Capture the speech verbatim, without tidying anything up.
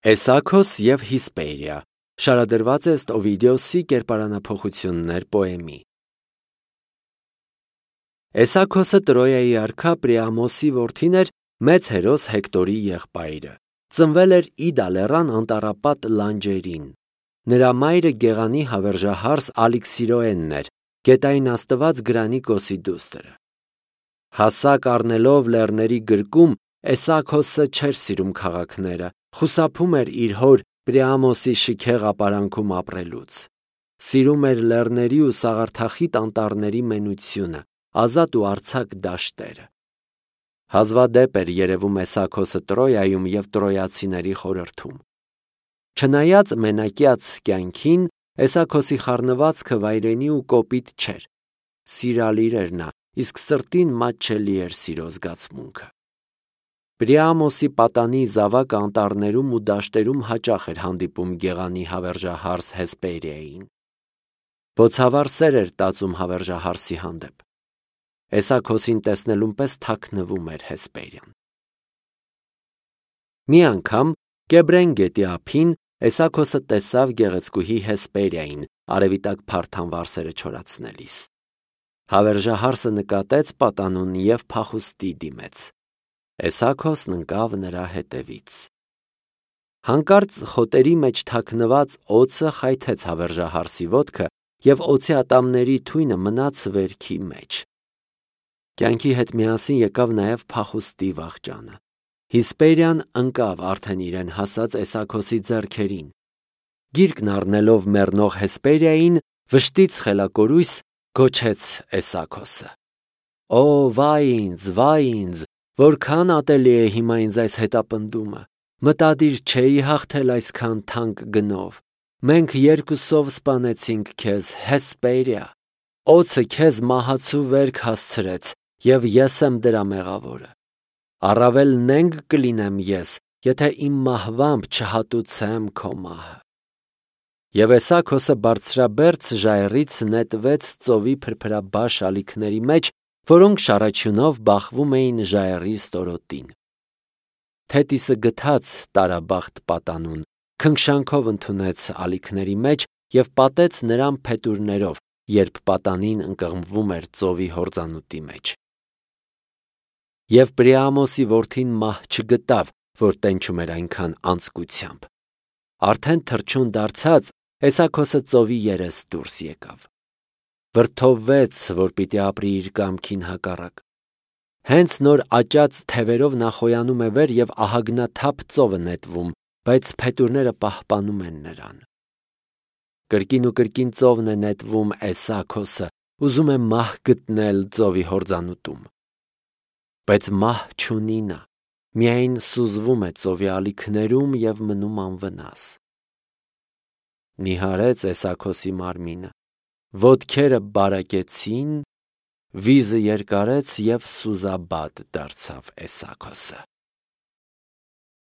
Էսաքոս և Հիսպերիա շարադրված է ըստ Օվիդիոսի կերպարանափոխություններ պոեմի։ Էսաքոսը Տրոյայի արքա Պրիամոսի որդին էր, մեծ հերոս Հեկտորի եղբայրը։ Ծնվել էր Իդա լեռան անտառապատ լանջերին։ Նրա մայրը Գեղանի հավերժահարս Ալիքսիրոենն էր, գետային աստված Գրանիկոսի դուստրը։ Հասակ առնելով լեռների գրկում, Էսաքոսը չէր սիրում քաղաքները, խուսափում էր իր հոր Պրիամոսի շքեղ ապարանքում ապրելուց։ Սիրում էր լեռների ու սաղարթախիտ անտառների մենությունը, ազատ ու արձակ դաշտերը։ Հազվադեպ էր երևում Էսաքոսը Տրոյայում և տրոյացիների խորհրդում։ Չնայած մենակյաց կյանքին, Էսաքոսի խառնվածքը վայրենի ու կոպիտ չէր։ Սիրալիր էր նա, իսկ սրտին մատչելի էր սիրո զգացմունքը։ Պրիամոսի պատանի զավակը անտառներում ու դաշտերում հաճախ էր հանդիպում Գեղանի հավերժահարս Հեսպերիային։ Բոցավառ սեր էր տածում հավերժահարսի հանդեպ։ Էսաքոսին տեսնելուն պես թաքնվում էր Հեսպերիան։ Մի անգամ Կեբրեն գետի ափին Էսաքոսը տեսավ գեղեցկուհի Հեսպերիային, արևի տակ փարթամ վարսերը չորացնելիս։ Հավերժահարսը նկատեց պատանուն և փախուստի դիմեց։ Էսաքոսն ընկավ նրա հետևից։ Հանկարծ խոտերի մեջ թաքնված օձը խայթեց հավերժահարսի ոտքը, և օձի ատամների թույնը մնաց վերքի մեջ։ Կյանքի հետ միասին եկավ նաև փախուստի վախճանը։ Հիսպերիան ընկավ արդեն իրեն հասած Էսաքոսի ձեռքերին։ Գիրկն առնելով մեռնող Հեսպերիային, վշտից խելակորույս գոչեց Էսաքոսը. «Օ, վայ ինձ, վայ ինձ, որքան ատելի է հիմա ինձ այս հետապնդումը, մտադիր չէի հաղթել այսքան թանկ գնով, մենք երկուսով սպանեցինք քեզ, Հեսպերիա, օձը քեզ մահացու վերք հասցրեց, և ես եմ դրա մեղավորը։ Առավել նենգ կլինեմ ես, եթե իմ մահվամբ չհատուցեմ քո մահը»։ Եվ Էսաքոսը բարձրաբերձ ժայռից նետվեց ծովի փրփրաբաշ ալիքների մեջ, որոնք շառաչյունով բախվում էին ժայռի ստորոտին։ Թետիսը գթած տարաբախտ պատանուն, քնքշանքով ընդունեց ալիքների մեջ և պատեց նրան փետուրներով, երբ պատանին ընկղմվում էր ծովի հորձանուտի մեջ։ Եվ Պրիամոսի որդին մահ չգտավ, որ տենչում էր այնքան անձկությամբ։ Արդեն թռչուն դարձած, Էսաքոսը ծովի երես դուրս եկավ։ Վրդովվեց, որ պիտի ապրի իր կամքին հակառակ։ Հենց նոր աճած թևերով նա խոյանում է վեր և ահագնաթափ ծով է նետվում, բայց փետուրները պահպանում են նրան։ Կրկին ու կրկին ծովն է նետվում Էսաքոսը, ուզում է մահ գտնել ծովի հորձանուտում։ Բայց մահ չունի նա, միայն սուզվում է ծովի ալիքներում և մնում անվնաս։ Նիհարեց Էսաքոսի մարմինը, ոտքերը բարակեցին, վիզը երկարեց և սուզաբադ դարձավ Էսաքոսը։